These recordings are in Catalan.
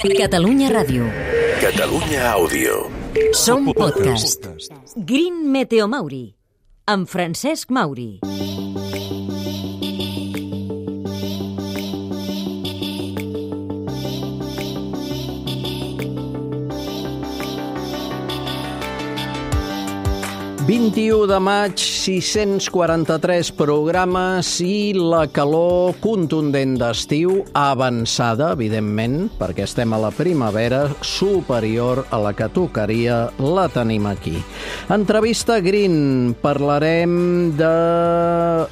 Catalunya Ràdio. Catalunya Àudio. Som podcast. Green Meteo Mauri, amb Francesc Mauri. ...21 de maig, 643 programes i la calor contundent d'estiu, avançada, evidentment, perquè estem a la primavera, superior a la que tocaria, la tenim aquí. Entrevista Green, parlarem de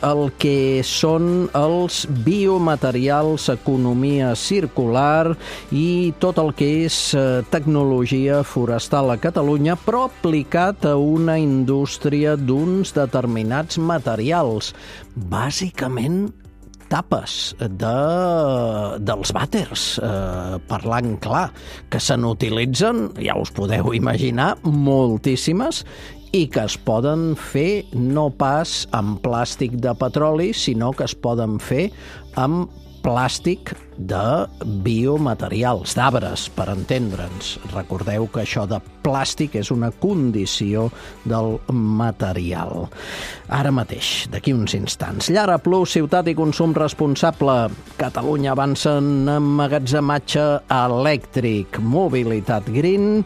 el que són els biomaterials, economia circular i tot el que és tecnologia forestal a Catalunya, però aplicat a una indústria d'uns determinats materials, bàsicament tapes dels vàters, parlant clar, que se n'utilitzen, ja us podeu imaginar, moltíssimes, i que es poden fer no pas amb plàstic de petroli, sinó que es poden fer amb plàstic de biomaterials, d'arbres, per entendre'ns. Recordeu que això de plàstic és una condició del material. Ara mateix, d'aquí uns instants. Llara Plus, ciutat i consum responsable. Catalunya avança en emmagatzematge elèctric. Mobilitat Green,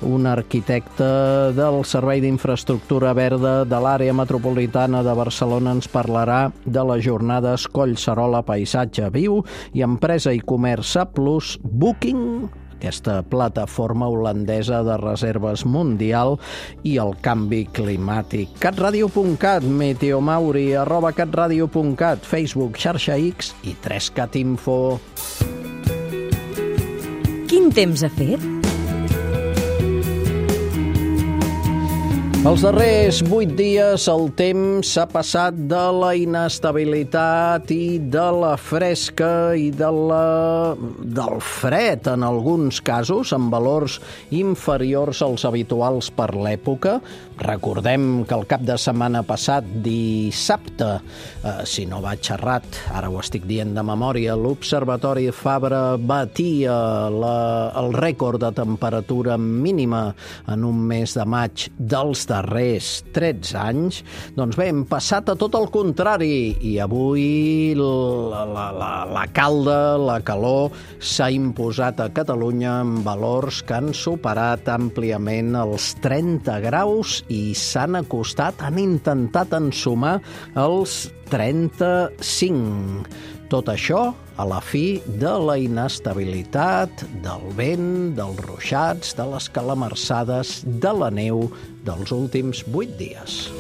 un arquitecte del Servei d'Infraestructura Verda de l'àrea metropolitana de Barcelona ens parlarà de les jornades Collserola Paisatge Viu i Empresa i Comerç A+, Booking, aquesta plataforma holandesa de reserves mundial, i el canvi climàtic. catradio.cat, meteomauri, @catradio.cat, Facebook, xarxa X i 3Cat Info. Quin temps ha fet? Els darrers 8 dies el temps s'ha passat de la inestabilitat i de la fresca i del fred en alguns casos, amb valors inferiors als habituals per l'època. Recordem que el cap de setmana passat, dissabte, si no vaig errat, ara ho estic dient de memòria, l'Observatori Fabra batia el rècord de temperatura mínima en un mes de maig dels darrers 13 anys. Doncs bé, hem passat a tot el contrari i avui la calda, la calor s'ha imposat a Catalunya amb valors que han superat àmpliament els 30 graus i s'han acostat, han intentat ensumar els 35. Tot això a la fi de la inestabilitat, del vent, dels ruixats, de les calamarsades, de la neu dels últims 8 dies.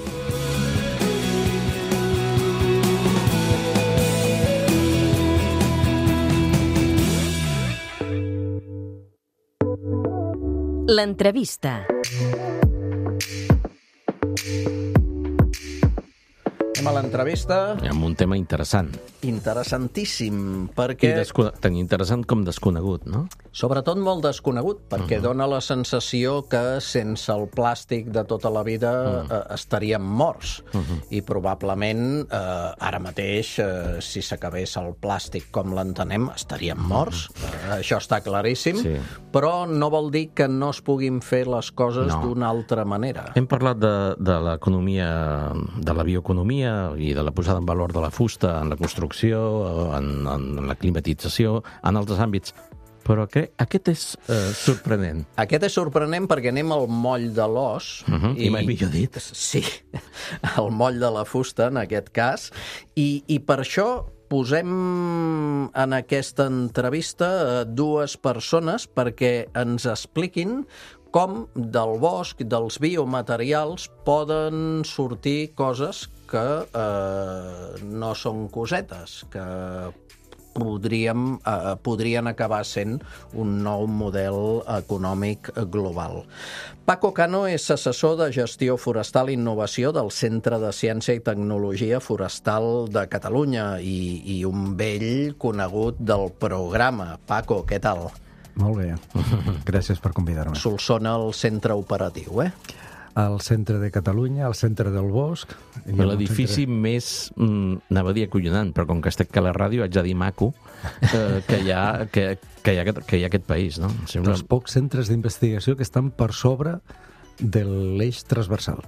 L'entrevista. A l'entrevista... Amb un tema interessant. Interessantíssim, perquè... Tan interessant com desconegut, no? Sobretot molt desconegut, perquè dona la sensació que sense el plàstic de tota la vida estaríem morts. I probablement, ara mateix, si s'acabés el plàstic com l'entenem, estaríem morts. Això està claríssim, Sí. però no vol dir que no es puguin fer les coses d'una altra manera. Hem parlat de l'economia, de la bioeconomia i de la posada en valor de la fusta en la construcció, en la climatització, en altres àmbits. Però aquest és sorprenent. Aquest és sorprenent perquè anem al moll de l'os. I mai millor dit. Sí, el moll de la fusta, en aquest cas. I per això posem en aquesta entrevista dues persones perquè ens expliquin com del bosc, dels biomaterials, poden sortir coses que no són cosetes, que podrien acabar sent un nou model econòmic global. Paco Cano és assessor de gestió forestal i innovació del Centre de Ciència i Tecnologia Forestal de Catalunya i un vell conegut del programa. Paco, què tal? Molt bé. Gràcies per convidar-me. Solsona el centre operatiu, eh? al centre de Catalunya, al centre del bosc. L'edifici més, anava a dir acollonant, però com que estic a la ràdio haig de dir maco, que hi ha aquest país, no? Sembla... Dels pocs centres d'investigació que estan per sobre de l'eix transversal.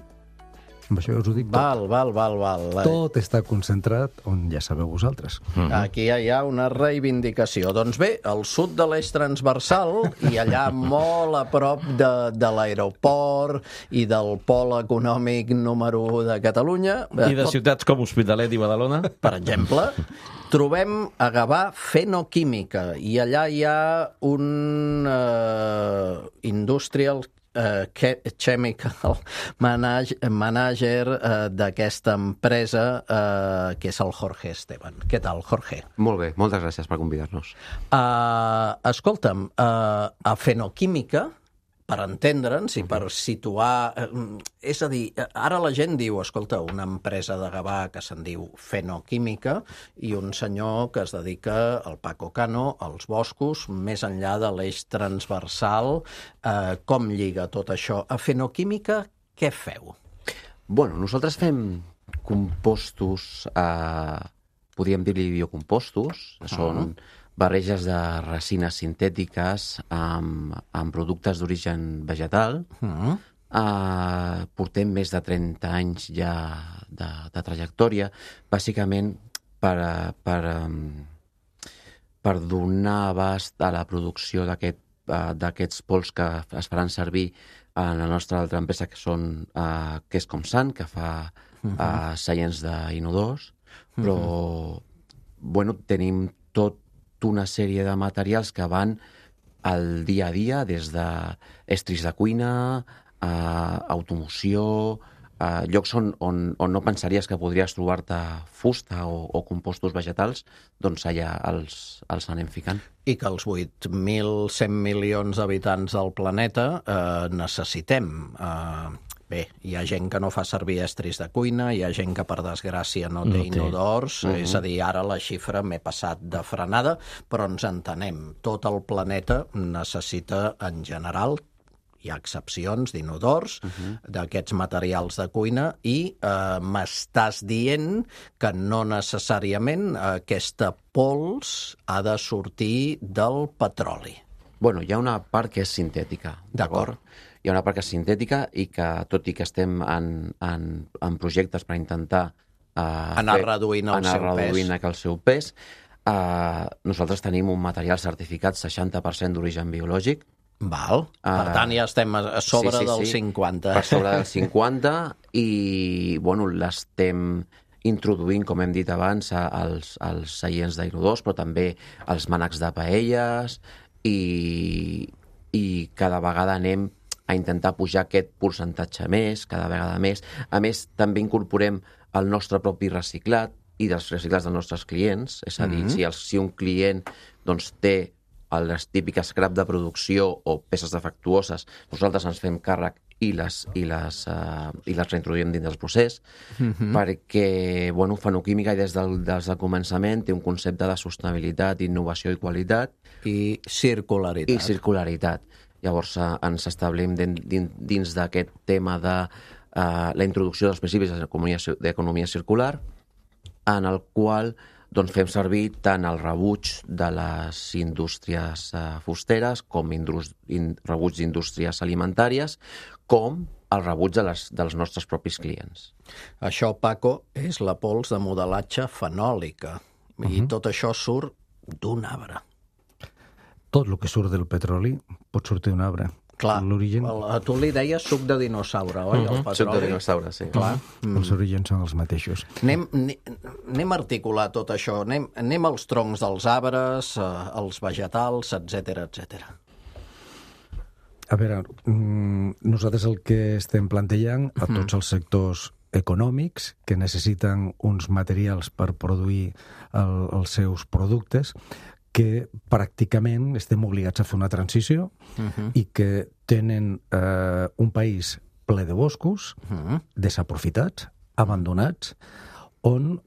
Amb això us ho dic tot. Val. Tot està concentrat on ja sabeu vosaltres. Aquí hi ha una reivindicació. Doncs bé, al sud de l'eix transversal i allà molt a prop de l'aeroport i del pol econòmic número 1 de Catalunya... I de ciutats com Hospitalet i Badalona? Per exemple, trobem a Gavà Fenoquímica i allà hi ha un industrial chemical manager d'aquesta empresa, que és el Jorge Esteban. Què tal, Jorge? Molt bé, moltes gràcies per convidar-nos. Escolta'm, a Fenoquímica, per entendre'ns i per situar... És a dir, ara la gent diu, escolta, una empresa de Gavà que se'n diu Fenoquímica i un senyor que es dedica, el Paco Cano, als boscos, més enllà de l'eix transversal. Com lliga tot això? A Fenoquímica, què feu? Bueno, nosaltres fem compostos, podríem dir-li biocompostos, són barreges de resines sintètiques amb productes d'origen vegetal. Portem més de 30 anys ja de trajectòria, bàsicament per donar abast a la producció d'aquests pols que es faran servir en la nostra altra empresa, que és Comsan, que fa seients d'inodors, però bueno, tenim tot una sèrie de materials que van al dia a dia, des d'estris de cuina, automoció, llocs on no pensaries que podries trobar-te fusta o compostos vegetals, doncs allà els anem ficant. I que els 8.100 milions d'habitants del planeta necessitem. Bé, hi ha gent que no fa servir estris de cuina, hi ha gent que, per desgràcia, no té inodors, és a dir, ara la xifra m'he passat de frenada, però ens entenem. Tot el planeta necessita, en general, hi ha excepcions d'inodors, d'aquests materials de cuina, i m'estàs dient que no necessàriament aquesta pols ha de sortir del petroli. Bueno, hi ha una part que és sintètica, d'acord? Hi ha una part que és sintètica i que, tot i que estem en projectes per intentar anar reduint el seu pes, nosaltres tenim un material certificat 60% d'origen biològic. Val. Per tant, ja estem a sobre del 50. Per sobre del 50 i, bueno, l'estem introduint, com hem dit abans, als seients d'inodors, però també als mànecs de paelles, i cada vegada anem a intentar pujar aquest percentatge més, cada vegada més. A més, també incorporem el nostre propi reciclat i dels reciclats dels nostres clients. És a dir, si un client té les típiques scrap de producció o peces defectuoses, nosaltres ens fem càrrec i les reintroduïm dins del procés, perquè, bueno, Fenoquímica des del començament té un concepte de sostenibilitat, innovació i qualitat. I circularitat. Llavors ens establim dins d'aquest tema de la introducció dels principis d'economia circular, en el qual fem servir tant el rebuig de les indústries fusteres com rebuig d'indústries alimentàries, com el rebuig dels nostres propis clients. Això, Paco, és la pols de modelatge fenòlica. I tot això surt d'un arbre. Tot el que surt del petroli pot sortir d'un arbre. Clar, tu li deies suc de dinosaure, oi? El petroli. Suc de dinosaure, sí. Clar. Els orígens són els mateixos. Anem a articular tot això. Anem als troncs dels arbres, als vegetals, etc. A veure, nosaltres el que estem plantejant a tots els sectors econòmics que necessiten uns materials per produir els seus productes, que pràcticament estem obligats a fer una transició i que tenen un país ple de boscos, desaprofitats, abandonats, on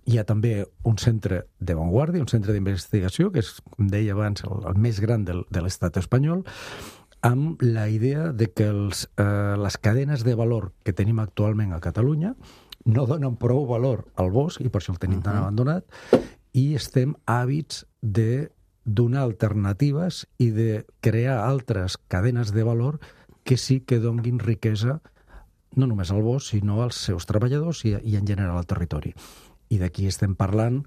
hi ha també un centre d'avantguàrdia, un centre d'investigació, que és, com deia abans, el més gran de l'estat espanyol, amb la idea de que les cadenes de valor que tenim actualment a Catalunya no donen prou valor al bosc, i per això el tenim tan abandonat, i estem hàbits de donar alternatives i de crear altres cadenes de valor que sí que donguin riquesa no només al bosc, sinó als seus treballadors i en general al territori. I d'aquí estem parlant,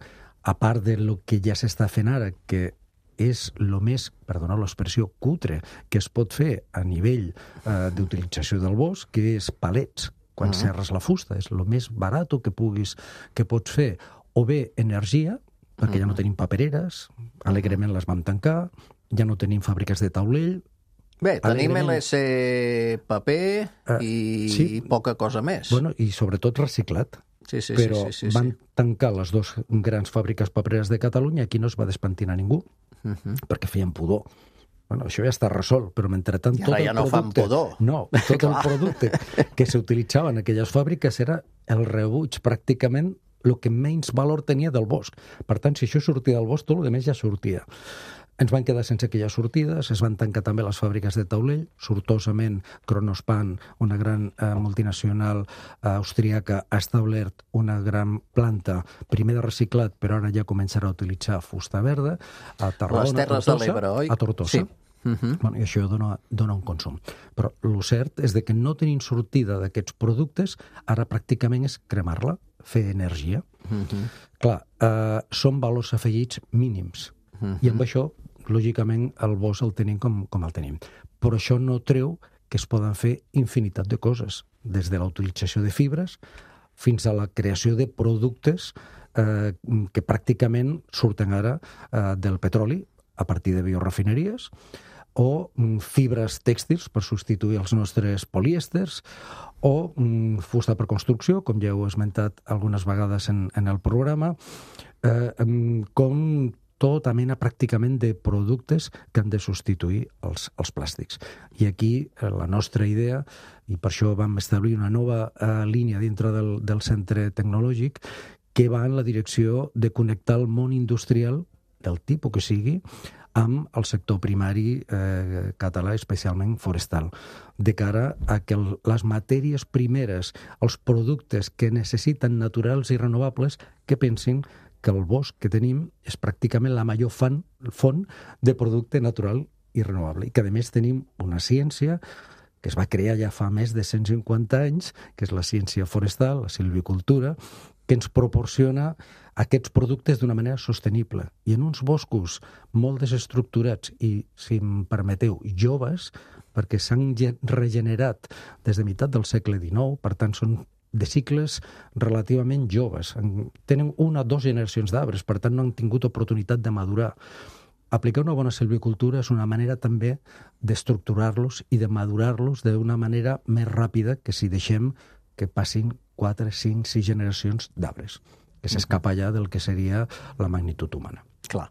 a part de lo que ja s'està fent ara, que és el més, perdoneu l'expressió, cutre que es pot fer a nivell d'utilització del bosc, que és palets, quan serres la fusta, és el més barat que pots fer, o bé energia, perquè ja no tenim papereres, alegrement les vam tancar, ja no tenim fàbriques de taulell. Bé, tenim LC paper i poca cosa més. Bueno, i sobretot reciclat. Sí. Però van tancar les dues grans fàbriques papereres de Catalunya, aquí no es va despentinar ningú, perquè feien pudor. Bueno, això ja està resolt, però mentrestant tot el producte... I ara ja no fan pudor. No, tot el producte que s'utilitzava en aquelles fàbriques era el rebuig, pràcticament el que menys valor tenia del bosc. Per tant, si això sortia del bosc, tot el que més ja sortia. Ens van quedar sense aquelles sortides, es van tancar també les fàbriques de taulell, sortosament Kronospan, una gran multinacional austríaca, ha establert una gran planta, primer de reciclat, però ara ja començarà a utilitzar fusta verda, a Tarragona, les Terres de l'Ebre, oi? A Tortosa. Sí. Bueno, i això dona un consum. Però el cert és que no tenint sortida d'aquests productes, ara pràcticament és cremar-la, fer energia. Clar, són valors afegits mínims. I amb això, lògicament, el bosc el tenim com el tenim. Però això no treu que es poden fer infinitat de coses, des de la utilització de fibres fins a la creació de productes que pràcticament surten ara del petroli a partir de biorefineries, o fibres tèxtils per substituir els nostres polièsters, o fusta per construcció, com ja heu esmentat algunes vegades en el programa, com tota mena pràcticament de productes que han de substituir els plàstics. I aquí la nostra idea, i per això vam establir una nova línia dintre del centre tecnològic, que va en la direcció de connectar el món industrial, del tipus que sigui, amb el sector primari català, especialment forestal, de cara a que les matèries primeres, els productes que necessiten naturals i renovables, que pensin que el bosc que tenim és pràcticament la major font de producte natural i renovable. I que, a més, tenim una ciència que es va crear ja fa més de 150 anys, que és la ciència forestal, la silvicultura, que ens proporciona aquests productes d'una manera sostenible. I en uns boscos molt desestructurats i, si em permeteu, joves, perquè s'han regenerat des de meitat del segle XIX, per tant són de cicles relativament joves. Tenen 1 o 2 generacions d'arbres, per tant no han tingut oportunitat de madurar. Aplicar una bona silvicultura és una manera també d'estructurar-los i de madurar-los d'una manera més ràpida que si deixem que passin 4, 5, 6 generacions d'arbres, que s'escapa ja del que seria la magnitud humana. Clar.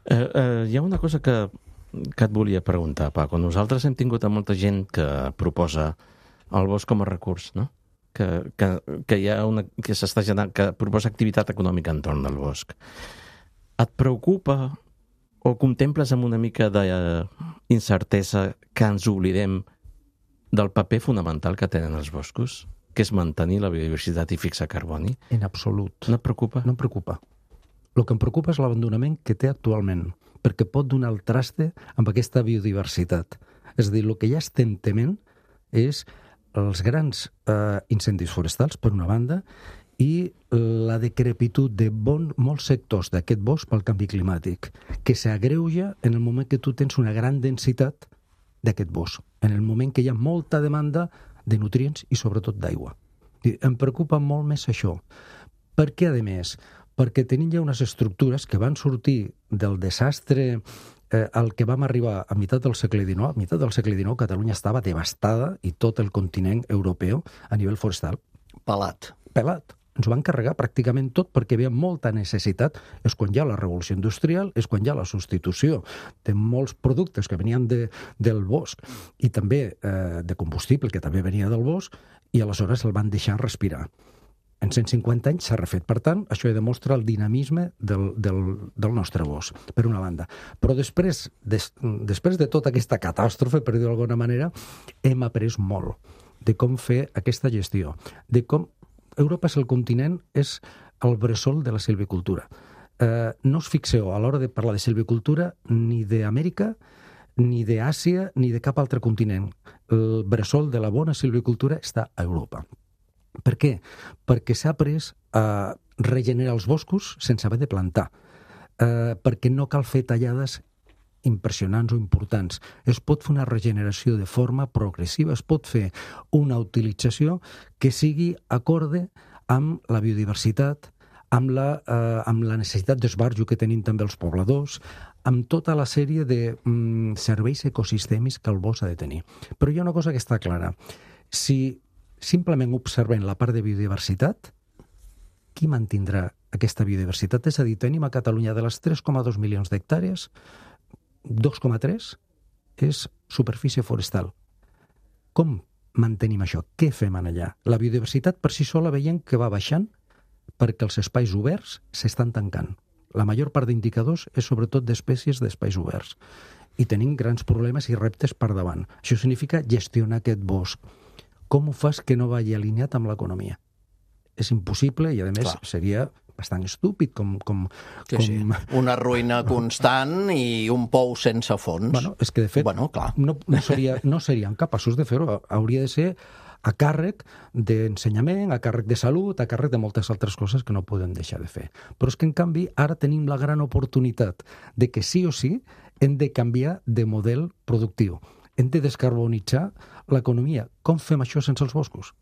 Hi ha una cosa que et volia preguntar, Paco. Nosaltres hem tingut a molta gent que proposa el bosc com a recurs, no? Que hi ha que s'està generant, que proposa activitat econòmica entorn del bosc. Et preocupa o contemples amb una mica d'incertesa que ens oblidem del paper fonamental que tenen els boscos, que és mantenir la biodiversitat i fixar carboni? En absolut. No et preocupa? No em preocupa. El que em preocupa és l'abandonament que té actualment, perquè pot donar el traste amb aquesta biodiversitat. És a dir, el que ja estem tement és els grans incendis forestals, per una banda, i la decrepitud de molts sectors d'aquest bosc pel canvi climàtic, que s'agreuja en el moment que tu tens una gran densitat d'aquest bosc, en el moment que hi ha molta demanda de nutrients i sobretot d'aigua. Em preocupa molt més això. Per què, a més? Perquè tenim ja unes estructures que van sortir del desastre al que vam arribar a meitat del segle XIX. A meitat del segle XIX Catalunya estava devastada i tot el continent europeu a nivell forestal. Pelat. Ens ho van carregar pràcticament tot perquè hi havia molta necessitat. És quan hi ha la revolució industrial, és quan hi ha la substitució de molts productes que venien del bosc i també de combustible que també venia del bosc, i aleshores el van deixar respirar. En 150 anys s'ha refet. Per tant, això demostra el dinamisme del nostre bosc, per una banda. Però després de tota aquesta catàstrofe, per dir-ho d'alguna manera, hem après molt de com fer aquesta gestió, de com Europa és el continent, és el bressol de la silvicultura. No us fixeu a l'hora de parlar de silvicultura ni d'Amèrica, ni d'Àsia, ni de cap altre continent. El bressol de la bona silvicultura està a Europa. Per què? Perquè s'ha après a regenerar els boscos sense haver de plantar. Perquè no cal fer tallades impressionants o importants. Es pot fer una regeneració de forma progressiva, es pot fer una utilització que sigui acorde amb la biodiversitat, amb la necessitat d'esbarjo que tenim també els pobladors, amb tota la sèrie de serveis ecosistèmics que el bosc ha de tenir. Però hi ha una cosa que està clara. Si simplement observem la part de biodiversitat, qui mantindrà aquesta biodiversitat? És a dir, tenim a Catalunya de les 3,2 milions d'hectàrees, 2,3 és superfície forestal. Com mantenim això? Què fem allà? La biodiversitat per si sola veiem que va baixant perquè els espais oberts s'estan tancant. La major part d'indicadors és sobretot d'espècies d'espais oberts. I tenim grans problemes i reptes per davant. Això significa gestionar aquest bosc. Com ho fas que no vagi alineat amb l'economia? És impossible i, a més, seria bastant estúpid Sí. Una ruïna constant i un pou sense fons. Bueno, és que, de fet, no serien capaços de fer-ho. Hauria de ser a càrrec d'ensenyament, a càrrec de salut, a càrrec de moltes altres coses que no podem deixar de fer. Però és que, en canvi, ara tenim la gran oportunitat de que sí o sí hem de canviar de model productiu. Hem de descarbonitzar l'economia. Com fem això sense els boscos?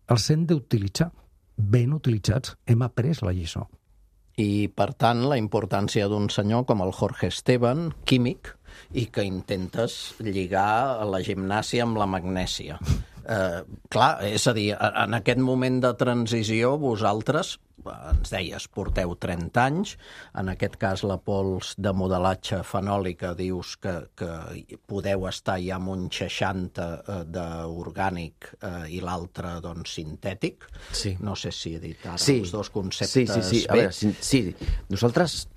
Els hem d'utilitzar. Ben utilitzats. Hem après la lliçó. I, per tant, la importància d'un senyor com el Jorge Esteban, químic, i que intentes lligar la gimnàsia amb la magnèsia. Clar, és a dir, en aquest moment de transició vosaltres, ens deies, porteu 30 anys, en aquest cas la pols de modelatge fenòlica dius que podeu estar ja amb un 60 d'orgànic i l'altre, doncs, sintètic. Sí. No sé si he dit ara els dos conceptes bé. A veure, sí. Nosaltres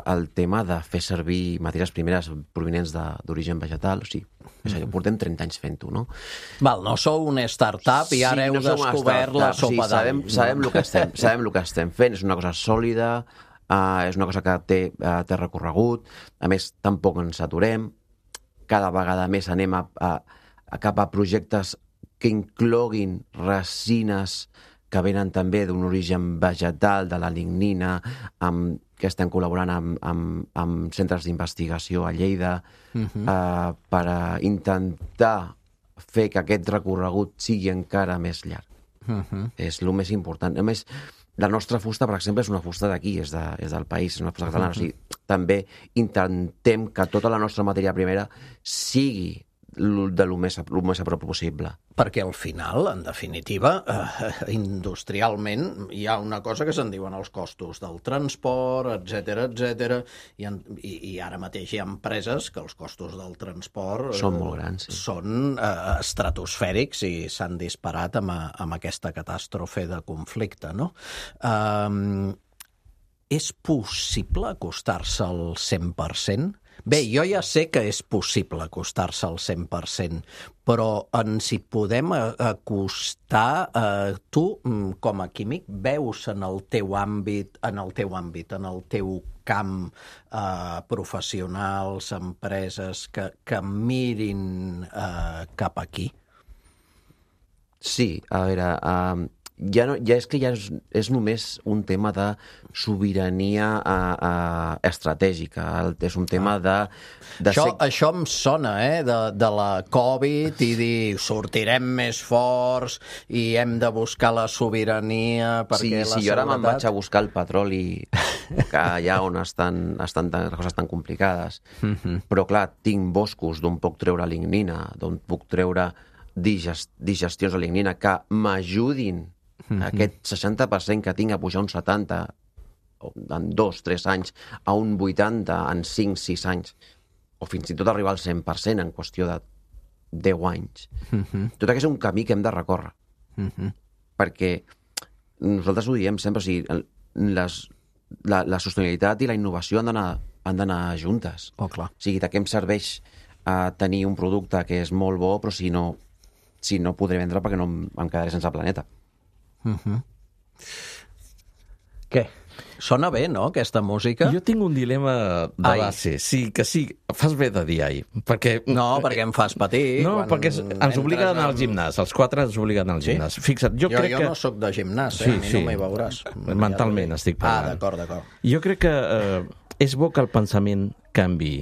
el tema de fer servir matèries primeres provinents d'origen vegetal, o sigui, portem 30 anys fent-ho, no? Val, no sou una startup i ara heu descobert la sopa d'all. Sabem el que estem fent, és una cosa sòlida, és una cosa que té recorregut, a més, tampoc ens aturem, cada vegada més anem cap a projectes que incloguin resines que venen també d'un origen vegetal, de la lignina, que estem col·laborant amb centres d'investigació a Lleida per intentar fer que aquest recorregut sigui encara més llarg. És el més important. A més, la nostra fusta, per exemple, és una fusta d'aquí, és del país, és una fusta catalana. O sigui, també intentem que tota la nostra matèria primera sigui de lo més a prop possible. Perquè al final, en definitiva, industrialment, hi ha una cosa que se'n diuen els costos del transport, etc. I ara mateix hi ha empreses que els costos del transport són molt grans, sí. Són estratosfèrics i s'han disparat amb aquesta catàstrofe de conflicte, no? És possible acostar-se al 100%? Bé, jo ja sé que és possible acostar-se al 100%, però ens hi podem acostar. Tu, com a químic, veus en el teu àmbit, en el teu camp, professionals, empreses que mirin cap aquí? Sí, a veure, ja és només un tema de sobirania estratègica. És un tema de Això em sona, de la Covid, i dir sortirem més forts i hem de buscar la sobirania perquè sí, jo ara me'n vaig a buscar el petroli que allà on estan les coses tan complicades. Però clar, tinc boscos d'on puc treure lignina, d'on puc treure digestions de lignina que m'ajudin aquest 60% que tinc a pujar un 70 en 2-3 anys a un 80 en 5-6 anys, o fins i tot arribar al 100% en qüestió de 10 anys. Tot aquest és un camí que hem de recórrer. perquè nosaltres ho diem sempre, o sigui, la sostenibilitat i la innovació han d'anar juntes. Oh, clar. O sigui, de què em serveix tenir un producte que és molt bo, però si no podré vendre perquè no em quedaré sense planeta. Què? Sona bé, no, aquesta música? Jo tinc un dilema de base. Sí, fas bé de dir ai. Perquè... No, perquè em fas patir. No, perquè ens obliga a anar al gimnàs. Els 4 ens obliguen a anar al gimnàs. Fixa't, jo crec que... Jo no sóc de gimnàs, Sí, a mi no m'hi veuràs. Mentalment estic parlant. D'acord. Jo crec que és bo que el pensament canvi.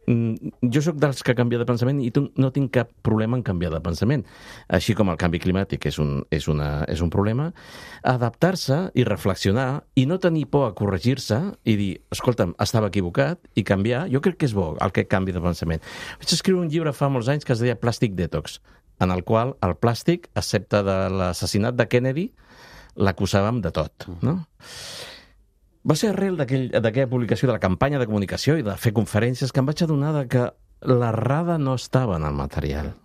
Jo sóc dels que canvia de pensament i no tinc cap problema en canviar de pensament. Així com el canvi climàtic és un problema, adaptar-se i reflexionar i no tenir por a corregir-se i dir, escolta'm, estava equivocat i canviar, jo crec que és bo el que canvi de pensament. Vaig escriure un llibre fa molts anys que es deia Plastic Detox, en el qual el plàstic, excepte de l'assassinat de Kennedy, l'acusàvem de tot, no? Va ser arrel d'aquella publicació de la campanya de comunicació i de fer conferències que em vaig adonar que l'errada no estava en el material.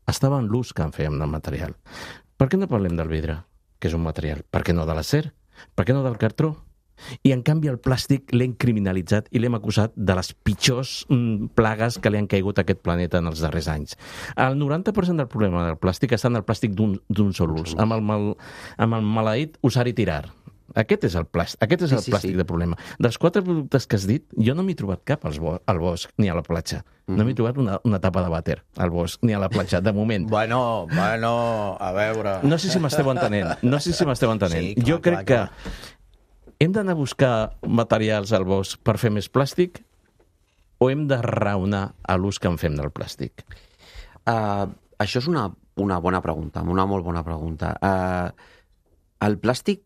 Estava en l'ús que en fèiem del material. Per què no parlem del vidre, que és un material? Per què no de l'acer? Per què no del cartró? I, en canvi, el plàstic l'hem criminalitzat i l'hem acusat de les pitjors plagues que li han caigut a aquest planeta en els darrers anys. El 90% del problema del plàstic està en el plàstic d'un sol ús, amb el maleït usar i tirar. Aquest és el plàstic de problema. Dels 4 productes que has dit, jo no m'he trobat cap al bosc ni a la platja. No m'he trobat una tapa de vàter al bosc ni a la platja, de moment. Bueno, a veure... No sé si m'esteu entenent. Sí, clar, jo crec que hem d'anar a buscar materials al bosc per fer més plàstic o hem de raonar a l'ús que en fem del plàstic? Això és una bona pregunta, una molt bona pregunta. El plàstic,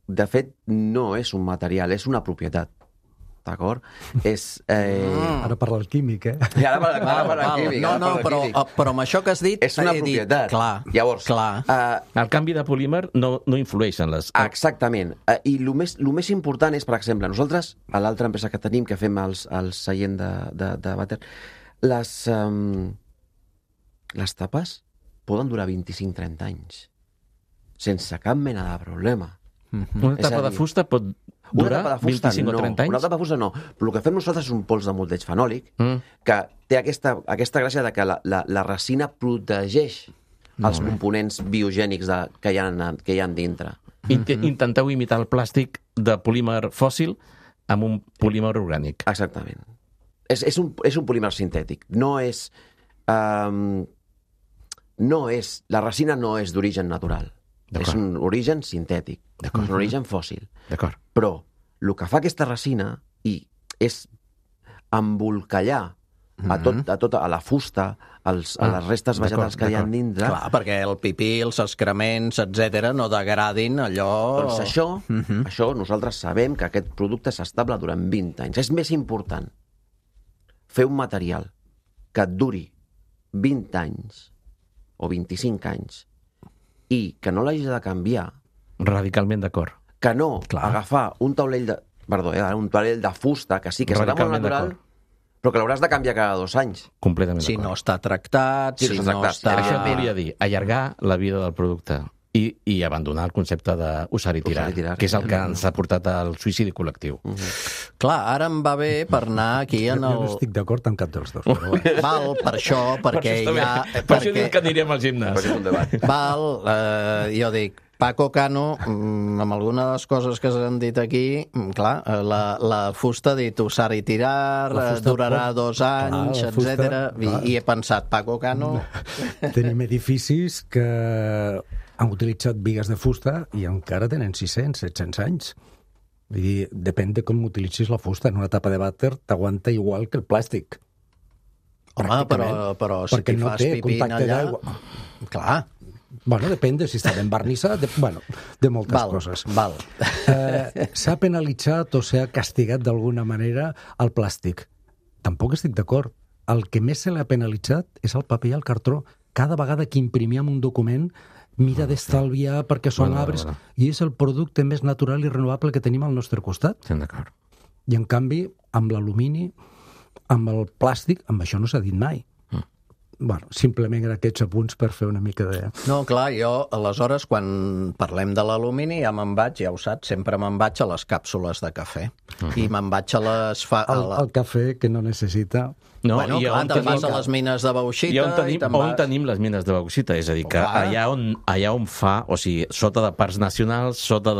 de fet, no és un material, és una propietat. D'acord? Ara parla el químic, eh? I ara parla el químic. Però amb això que has dit... És una propietat. Llavors, el canvi de polímer no influeix en les... Exactament. I el més important és, per exemple, nosaltres, a l'altra empresa que tenim, que fem el seient de vàter, les tapes poden durar 25-30 anys, sense cap mena de problema. Una tapa de fusta pot durar 25 o 30 anys? Una tapa de fusta no. Però el que fem nosaltres és un pols de molteig fenòlic que té aquesta gràcia de que la resina protegeix els components biogènics que hi ha dintre. Intenteu imitar el plàstic de polímer fòssil amb un polímer orgànic. Exactament. És un polímer sintètic. La resina no és d'origen natural. És un origen sintètic, és un origen fòssil. Però el que fa aquesta resina és embolcallar a la fusta, a les restes vegetals que hi ha dintre. Clar, perquè el pipí, els excrements, etc., no degradin allò... Doncs això nosaltres sabem que aquest producte és estable durant 20 anys. És més important fer un material que et duri 20 anys o 25 anys i que no l'hagis de canviar. Radicalment d'acord. Que no agafar un taulell de fusta, que sí que serà molt natural, però que l'hauràs de canviar cada 2 anys. Completament d'acord. Si no està tractat, si no està... Això et volia dir, allargar la vida del producte i abandonar el concepte d'usar i tirar, que és el que ens ha portat al suïcidi col·lectiu. Clar, ara em va bé per anar aquí en el... Jo no estic d'acord amb cap dels dos. Però val, per això, perquè ja... Per això dic que anirem al gimnàs. Val, jo dic, Paco Cano, amb alguna de les coses que s'han dit aquí, clar, la fusta ha dit usar i tirar, durarà 2 anys, etc. I he pensat, Paco Cano... Tenim edificis que han utilitzat bigues de fusta i encara tenen 600, 700 anys. Vull dir, depèn de com utilitzis la fusta. En una tapa de vàter t'aguanta igual que el plàstic. Home, però si t'hi fas pipí allà... Clar. Bueno, depèn de si està ben barnissat, de moltes coses. S'ha penalitzat o s'ha castigat d'alguna manera el plàstic. Tampoc estic d'acord. El que més se l'ha penalitzat és el paper i el cartró. Cada vegada que imprimíem un document mira d'estalviar perquè són arbres i és el producte més natural i renovable que tenim al nostre costat. Estem d'acord. I en canvi, amb l'alumini, amb el plàstic, amb això no s'ha dit mai. bueno, simplement aquests apunts per fer una mica de... No, clar, jo, aleshores, quan parlem de l'alumini, ja me'n vaig, ja ho saps, sempre me'n vaig a les càpsules de cafè. I me'n vaig a les... El cafè que no necessita... No, bueno, clar, te'n vas a les mines de bauxita i on tenim les mines de bauxita? És a dir, que allà on fa, o sigui, sota de parcs nacionals, sota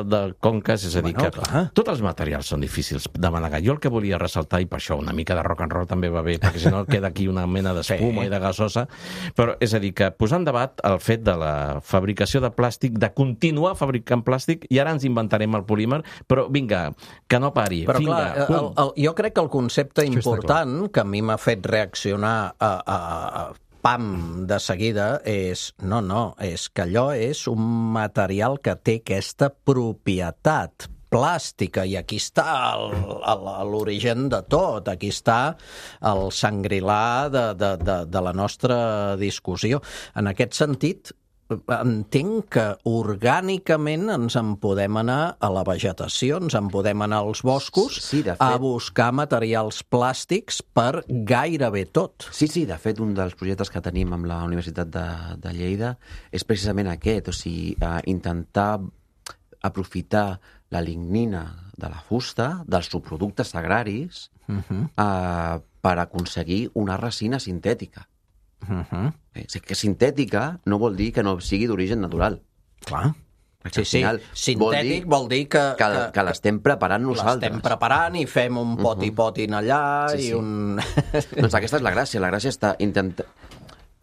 de conques, és a dir, que tots els materials són difícils de manegar. Jo el que volia ressaltar, i per això una mica de rock and roll també va bé, perquè si no queda aquí una mena d'espuma i de gasosa, però és a dir, que posar en debat el fet de la fabricació de plàstic, de continuar fabricant plàstic, i ara ens inventarem el polímer, però vinga, que no pari. Però clar, jo crec que el concepte important, que a mi m'ha fet reaccionar pam de seguida, és és que allò és un material que té aquesta propietat plàstica, i aquí està l'origen de tot, aquí està el sangrilar de la nostra discussió. En aquest sentit, entenc que orgànicament ens en podem anar a la vegetació, ens en podem anar als boscos a buscar materials plàstics per gairebé tot. Sí, de fet, un dels projectes que tenim amb la Universitat de Lleida és precisament aquest, o sigui, intentar aprofitar la lignina de la fusta, dels subproductes agraris, per aconseguir una resina sintètica. Que sintètica no vol dir que no sigui d'origen natural. Clar. Sí, sintètic vol dir que l'estem preparant nosaltres. L'estem preparant i fem un poti-potin allà i un... Doncs aquesta és la gràcia. La gràcia està intentant...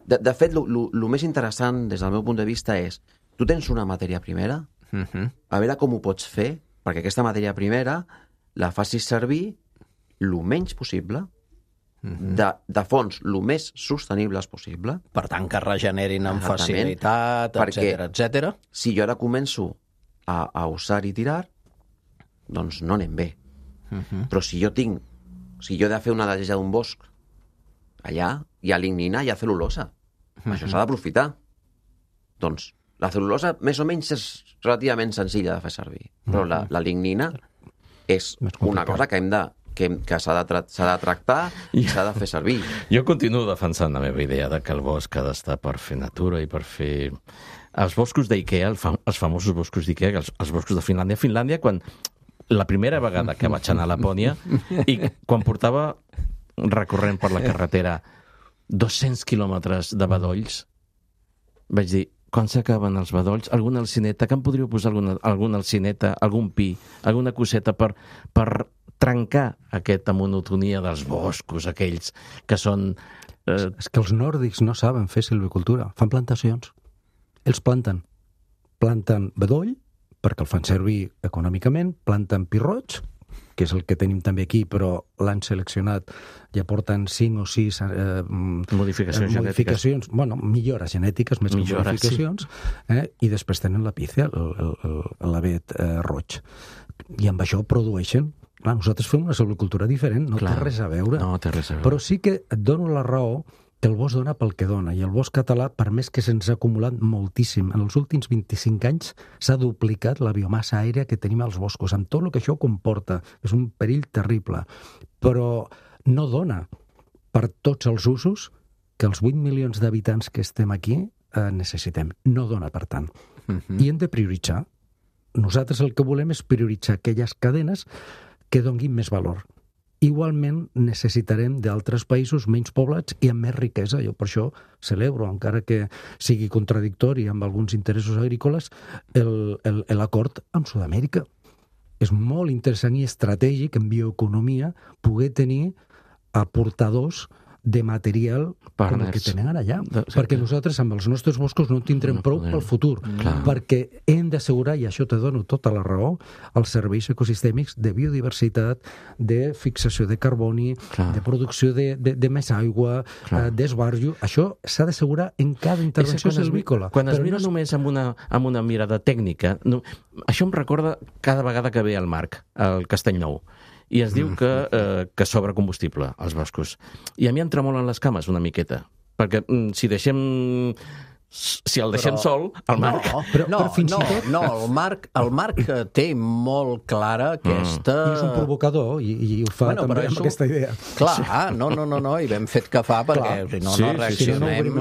De fet, el més interessant des del meu punt de vista és, tu tens una matèria primera, a veure com ho pots fer perquè aquesta matèria primera la facis servir el menys possible, de fonts el més sostenibles possible. Per tant, que regenerin amb facilitat, etc. Si jo ara començo a usar i tirar, doncs no anem bé. Però si jo he de fer una neteja d'un bosc, allà hi ha lignina, hi ha cel·lulosa. Això s'ha d'aprofitar. Doncs la cel·lulosa més o menys és relativament senzilla de fer servir, però la lignina és una cosa que s'ha de tractar i s'ha de fer servir. Jo continuo defensant la meva idea de que el bosc ha d'estar per fer natura i per fer... Els boscos d'Ikea, els famosos boscos d'Ikea, els boscos de Finlàndia. Finlàndia, quan la primera vegada que vaig anar a Lapònia i quan portava recorrent per la carretera 200 quilòmetres de bedolls, vaig dir, quan s'acaben els bedolls, alguna alcineta, que em podríeu posar alguna alcineta, algun pi, alguna coseta per trencar aquesta monotonia dels boscos, aquells que són... És que els nòrdics no saben fer silvicultura, fan plantacions. Ells planten bedoll, perquè el fan servir econòmicament, planten pi roig, que és el que tenim també aquí, però l'han seleccionat, ja porten 5 o 6 modificacions, bueno, millores genètiques, més que modificacions, i després tenen la pícia, l'avet roig. I amb això produeixen. Clar, nosaltres fem una silvicultura diferent, no té res a veure. No té res a veure. Però sí que et dono la raó que el bosc dona pel que dona, i el bosc català, per més que se'ns ha acumulat moltíssim, en els últims 25 anys s'ha duplicat la biomassa aèria que tenim als boscos, amb tot el que això comporta. És un perill terrible, però no dona per tots els usos que els 8 milions d'habitants que estem aquí necessitem. No dona, per tant. I hem de prioritzar. Nosaltres el que volem és prioritzar aquelles cadenes que donguin més valor. Igualment necessitarem d'altres països menys poblats i amb més riquesa. Jo per això celebro, encara que sigui contradictori amb alguns interessos agrícoles, l'acord amb Sud-amèrica. És molt interessant i estratègic en bioeconomia poder tenir aportadors de material com el que tenen allà. Perquè nosaltres amb els nostres boscos no en tindrem prou pel futur. Perquè hem d'assegurar, i això te dono tota la raó, els serveis ecosistèmics de biodiversitat, de fixació de carboni, de producció de més aigua, d'esbarjo. Això s'ha d'assegurar en cada intervenció silvícola. Quan es mira només amb una mirada tècnica, això em recorda cada vegada que ve al Marc, al Castellnou, i es diu que sobra combustible als boscos. I a mi em tremolen les cames una miqueta, perquè si deixem si el deixem sol, el Marc... Però fins i tot... No, el Marc té molt clara aquesta... I és un provocador i ho fa també amb aquesta idea. Clar, no, i ben fet que fa, perquè si no reaccionem,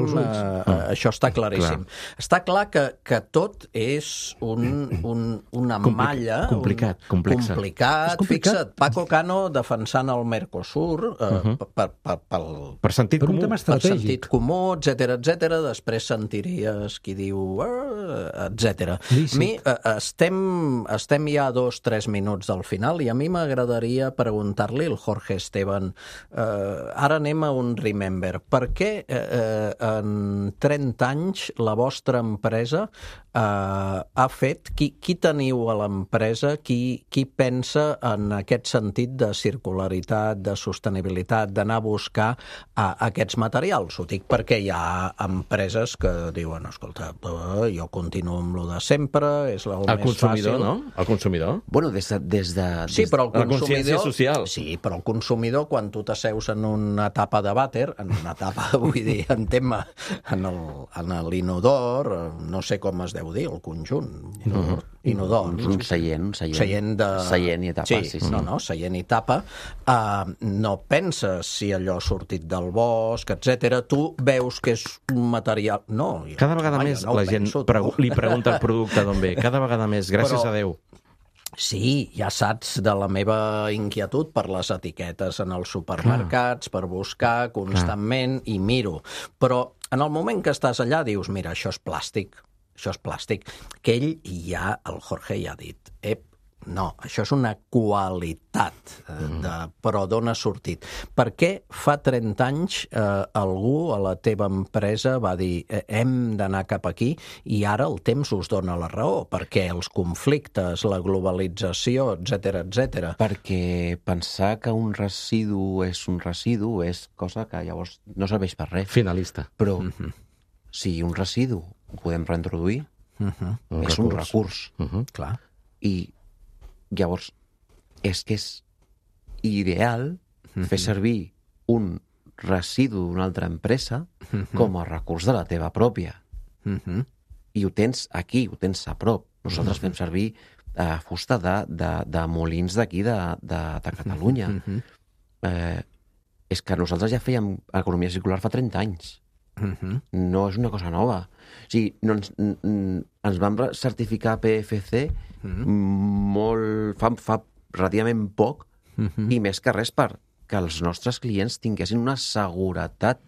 això està claríssim. Està clar que tot és una malla... Complicat. Fixa't, Paco Cano defensant el Mercosur per sentit comú. Per un tema estratègic. Per sentit comú, etcètera. Després sentiries qui diu, etcètera. Estem ja a 2-3 minuts del final i a mi m'agradaria preguntar-li al Jorge Esteban, ara anem a un remember. Per què en 30 anys la vostra empresa ha fet... Qui teniu a l'empresa? Qui pensa en aquest sentit de circularitat, de sostenibilitat, d'anar a buscar aquests materials? Ho dic perquè hi ha empreses que diuen, escolta, jo continuo amb lo de sempre, és el més fàcil. No? El consumidor? Bueno, des de... Sí, però el consumidor... La consciència social. Sí, però el consumidor, quan tu t'asseus en una tapa de vàter, en una tapa, vull dir, en tema, en l'inodor, no sé com es deu dir, el conjunt. Inodor. Un seient. Seient i tapa, sí. No, seient i tapa. No penses si allò ha sortit del bosc, etcètera. Tu veus que és un material... No. Cada vegada més la gent li pregunta el producte d'on ve. Cada vegada més, gràcies a Déu. Sí, ja saps de la meva inquietud per les etiquetes en els supermercats, per buscar constantment i miro. Però en el moment que estàs allà dius, mira, això és plàstic, que ell el Jorge ja ha dit, no, això és una qualitat, però d'on ha sortit? Per què fa 30 anys algú a la teva empresa va dir hem d'anar cap aquí i ara el temps us dona la raó? Perquè els conflictes, la globalització, etcètera. Perquè pensar que un residu és cosa que llavors no serveix per res. Finalista. Però si un residu ho podem reintroduir, és un recurs. Clar. I llavors, és que és ideal fer servir un residu d'una altra empresa com a recurs de la teva pròpia. I ho tens aquí, ho tens a prop. Nosaltres fem servir fusta de molins d'aquí, de Catalunya. És que nosaltres ja fèiem economia circular fa 30 anys. No és una cosa nova. O sigui, ens vam certificar PFC fa relativament poc i més que res perquè els nostres clients tinguessin una seguretat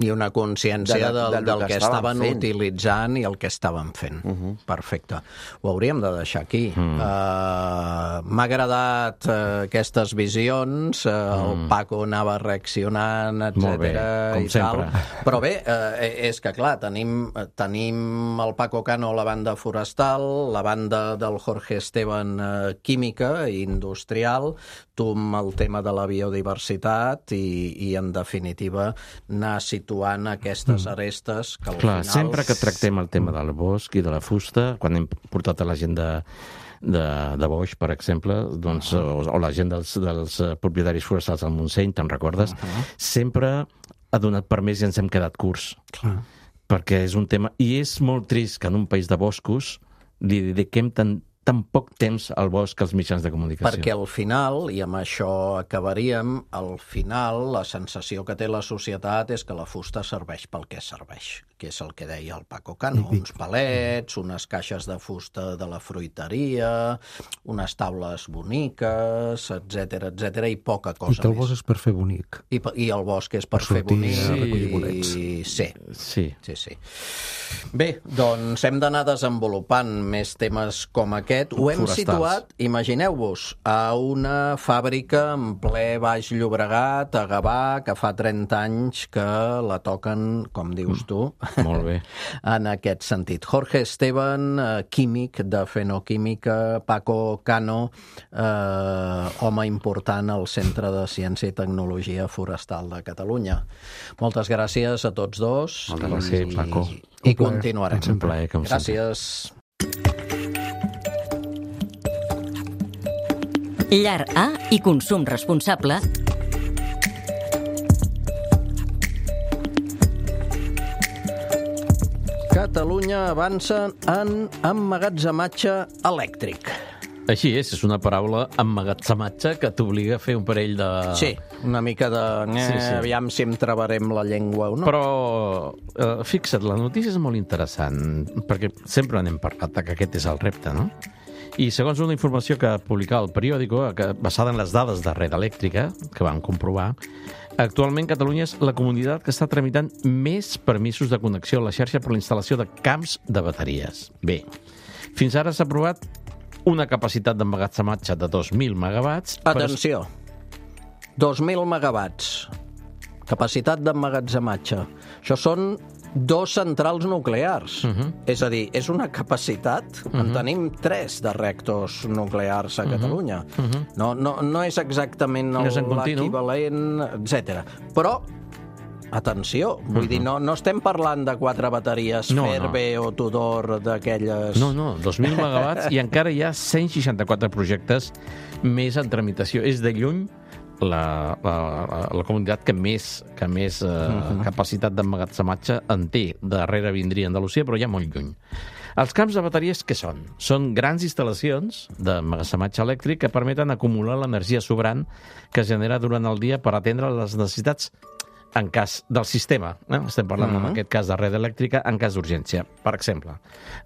i una consciència del que estaven utilitzant i el que estaven fent. Perfecte. Ho hauríem de deixar aquí. M'ha agradat aquestes visions, el Paco anava reaccionant, etcètera, i tal. Però bé, és que clar, tenim el Paco Cano a la banda forestal, la banda del Jorge Esteban química i industrial, tu amb el tema de la biodiversitat i en definitiva anar situant aquestes arestes que al final... Sempre que tractem el tema del bosc i de la fusta, quan hem portat a la gent de Boix, per exemple, doncs, o la gent dels propietaris forestals del Montseny, te'n recordes? Sempre ha donat per més i ens hem quedat curts. Perquè és un tema... I és molt trist que en un país de boscos li dediquem tan poc temps al bosc als mitjans de comunicació. Perquè al final, i amb això acabaríem, al final la sensació que té la societat és que la fusta serveix pel que serveix, que és el que deia el Paco Cano, uns palets, unes caixes de fusta de la fruiteria, unes taules boniques, etcètera, i poca cosa més. I que el bosc és per fer bonic. I el bosc és per fer bonic. Sí. Bé, doncs hem d'anar desenvolupant més temes com aquest. Ho hem situat, imagineu-vos, a una fàbrica en ple Baix Llobregat, a Gavà, que fa 30 anys que la toquen, com dius tu, molt bé. En aquest sentit. Jorge Esteban, químic de Fenoquímica, Paco Cano, home important al Centre de Ciència i Tecnologia Forestal de Catalunya. Moltes gràcies a tots dos. Moltes gràcies, Paco. I continuarem. Un plaer, com sempre. Gràcies. Llar A i consum responsable. Catalunya avança en emmagatzematge elèctric. Així és una paraula emmagatzematge que t'obliga a fer un parell de... Sí, una mica de... Aviam si em travarem la llengua o no. Però, fixa't, la notícia és molt interessant, perquè sempre n'hem parlat que aquest és el repte, no? I segons una informació que publicava el periòdico, basada en les dades de Red Elèctrica, que vam comprovar, actualment Catalunya és la comunitat que està tramitant més permisos de connexió a la xarxa per la instal·lació de camps de bateries. Bé, fins ara s'ha aprovat una capacitat d'emmagatzematge de 2.000 megawatts... Atenció, 2.000 megawatts, capacitat d'emmagatzematge. Això són 2 centrals nuclears. És a dir, és una capacitat... En tenim 3 de reactors nuclears a Catalunya. No és exactament l'equivalent, etc. Però, atenció, vull dir, no estem parlant de 4 bateries Ferbe o Tudor d'aquelles... No, 2.000 megawatts i encara hi ha 164 projectes més en tramitació. És de lluny la comunitat que més capacitat d'emmagatzematge en té. Darrere vindria Andalusia, però ja molt lluny. Els camps de bateries què són? Són grans instal·lacions d'emmagatzematge elèctric que permeten acumular l'energia sobrant que es genera durant el dia per atendre les necessitats en cas del sistema. Estem parlant en aquest cas de Red Elèctrica en cas d'urgència. Per exemple,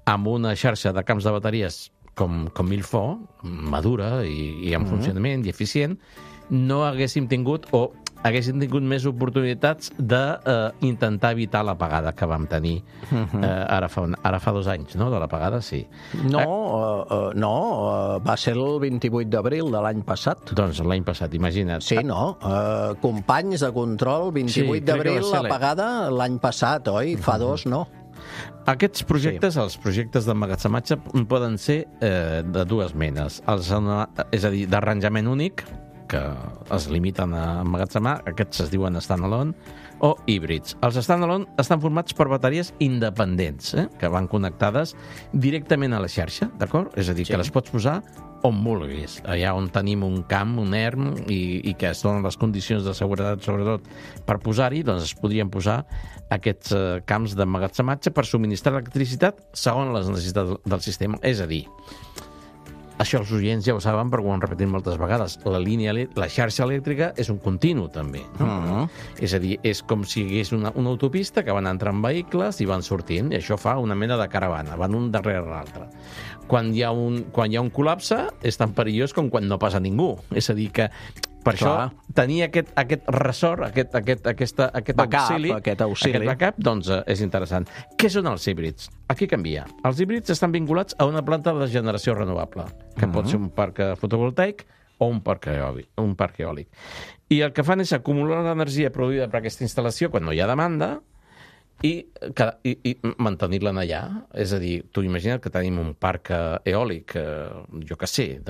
amb una xarxa de camps de bateries com Milfo, madura i en funcionament i eficient, no haguéssim tingut més oportunitats d'intentar evitar l'apagada que vam tenir ara fa 2 anys, no? De l'apagada, sí. No, va ser el 28 d'abril de l'any passat. Doncs l'any passat, imagina't. Sí, no? Companys de control, 28 d'abril, l'apagada l'any passat, oi? Fa 2, no? Aquests projectes, els projectes d'emmagatzematge, poden ser de 2 menes. És a dir, d'arranjament únic, que es limiten a emmagatzemar, aquests es diuen standalone, o híbrids. Els standalone estan formats per bateries independents, que van connectades directament a la xarxa, d'acord? És a dir, que les pots posar on vulguis, allà on tenim un camp, un erm, i que es donen les condicions de seguretat, sobretot, per posar-hi, doncs es podrien posar aquests camps d'emmagatzematge per subministrar electricitat segons les necessitats del sistema. És a dir, això els oients ja ho saben perquè ho han repetit moltes vegades. La xarxa elèctrica és un continu, també. No? És a dir, és com si hi hagués una autopista que van entrant vehicles i van sortint, i això fa una mena de caravana, van un darrere l'altre. Quan hi ha un col·lapse és tan perillós com quan no passa ningú. És a dir, que per això tenir aquest ressort, aquest auxili, doncs és interessant. Què són els híbrids? Aquí canvia. Els híbrids estan vinculats a una planta de generació renovable, que pot ser un parc fotovoltaic o un parc eòlic. I el que fan és acumular l'energia produïda per aquesta instal·lació quan no hi ha demanda i mantenir-la allà. És a dir, tu imagina't que tenim un parc eòlic, jo què sé,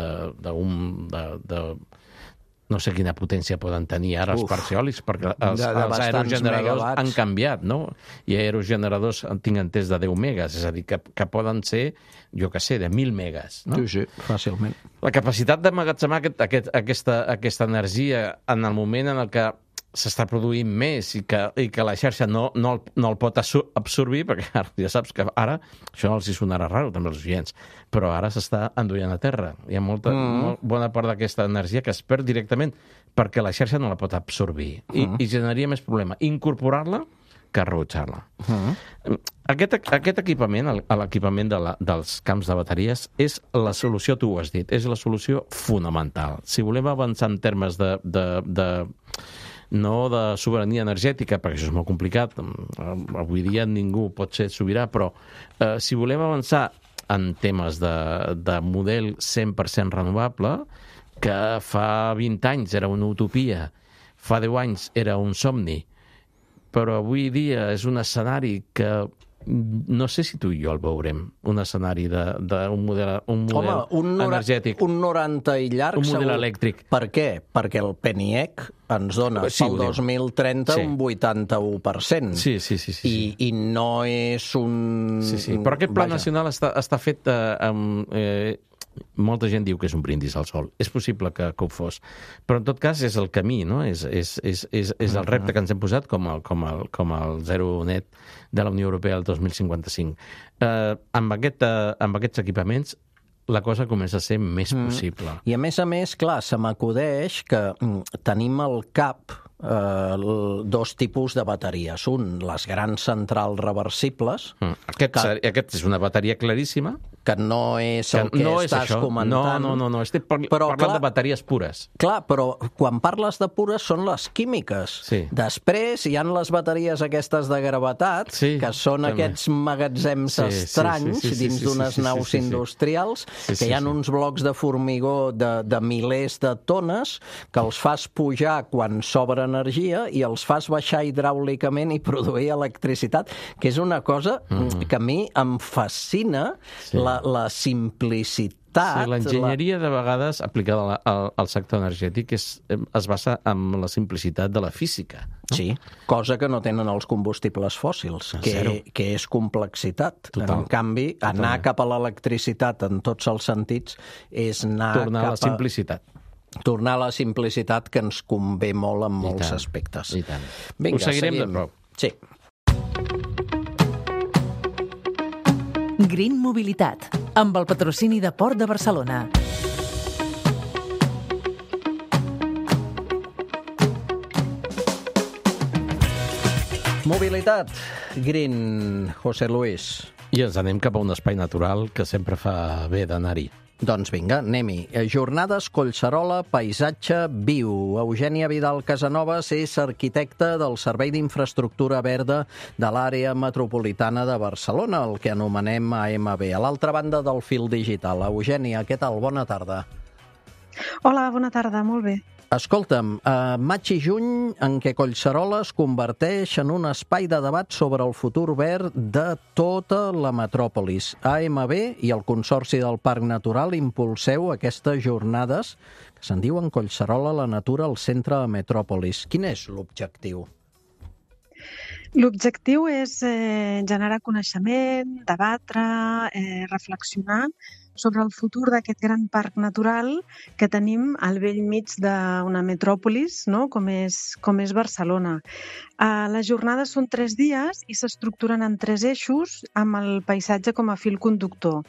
no sé quina potència poden tenir ara els parcs eòlics, perquè els aerogeneradors han canviat, no? I aerogeneradors tinc entès de 10 megas, és a dir, que poden ser, jo què sé, de 1.000 megas, no? Sí, fàcilment. La capacitat d'emmagatzemar aquesta energia en el moment en el que s'està produint més i que la xarxa no el pot absorbir, perquè ja saps que ara, això els hi sonarà raro també als oients, però ara s'està enduient a terra. Hi ha molt bona part d'aquesta energia que es perd directament perquè la xarxa no la pot absorbir i generaria més problema incorporar-la que rebutjar-la. Aquest equipament, l'equipament dels camps de bateries, és la solució, tu ho has dit, és la solució fonamental. Si volem avançar en termes no de sobirania energètica, perquè això és molt complicat, avui dia ningú pot ser sobirà, però si volem avançar en temes de model 100% renovable, que fa 20 anys era una utopia, fa 10 anys era un somni, però avui dia és un escenari que no sé si tu i jo el veurem, un escenari d'un model energètic. Un 90 i llarg, un model segur. Elèctric. Per què? Perquè el PNIEC ens dona pel 2030 un 81%. Sí. I no és un... Sí. Però aquest pla nacional està fet molta gent diu que és un brindis al sol. És possible que ho fos. Però, en tot cas, és el camí, no? És el repte que ens hem posat com el zero net de la Unió Europea el 2055. Amb aquests equipaments, la cosa comença a ser més possible. I a més, clar, se m'acudeix que tenim al cap dos tipus de bateries. Un, les grans centrals reversibles. Aquest és una bateria claríssima. Que no és el que estàs comentant. No. Estic parlant de bateries pures. Clar, però quan parles de pures són les químiques. Sí. Després hi han les bateries aquestes de gravetat, que són aquests magatzems estranys dins d'unes naus industrials, que hi ha uns blocs de formigó de milers de tones que els fas pujar quan sobra energia i els fas baixar hidràulicament i produir electricitat, que és una cosa que a mi em fascina, la simplicitat. Sí, l'enginyeria, de vegades, aplicada al sector energètic, es basa en la simplicitat de la física. No? Sí, cosa que no tenen els combustibles fòssils, que és complexitat. En canvi, anar cap a l'electricitat en tots els sentits és anar tornar a la simplicitat. Tornar a la simplicitat que ens convé molt en molts aspectes. I tant. Vinga, ho seguirem de prop. Sí. Green Mobilitat, amb el patrocini de Port de Barcelona. Mobilitat, Green, José Luis. I ens anem cap a un espai natural que sempre fa bé d'anar-hi. Doncs vinga, anem-hi. Jornades Collserola, paisatge viu. Eugènia Vidal Casanovas és arquitecta del Servei d'Infraestructura Verda de l'àrea metropolitana de Barcelona, el que anomenem AMB. A l'altra banda del fil digital. Eugènia, què tal? Bona tarda. Hola, bona tarda, molt bé. Escolta'm, maig i juny en què Collserola es converteix en un espai de debat sobre el futur verd de tota la metròpolis. AMB i el Consorci del Parc Natural impulseu aquestes jornades que se'n diuen Collserola, la natura al centre de metròpolis. Quin és l'objectiu? L'objectiu és generar coneixement, debatre, reflexionar sobre el futur d'aquest gran parc natural que tenim al bell mig d'una metròpolis, no? com és Barcelona. Les jornades són 3 dies i s'estructuren en 3 eixos amb el paisatge com a fil conductor.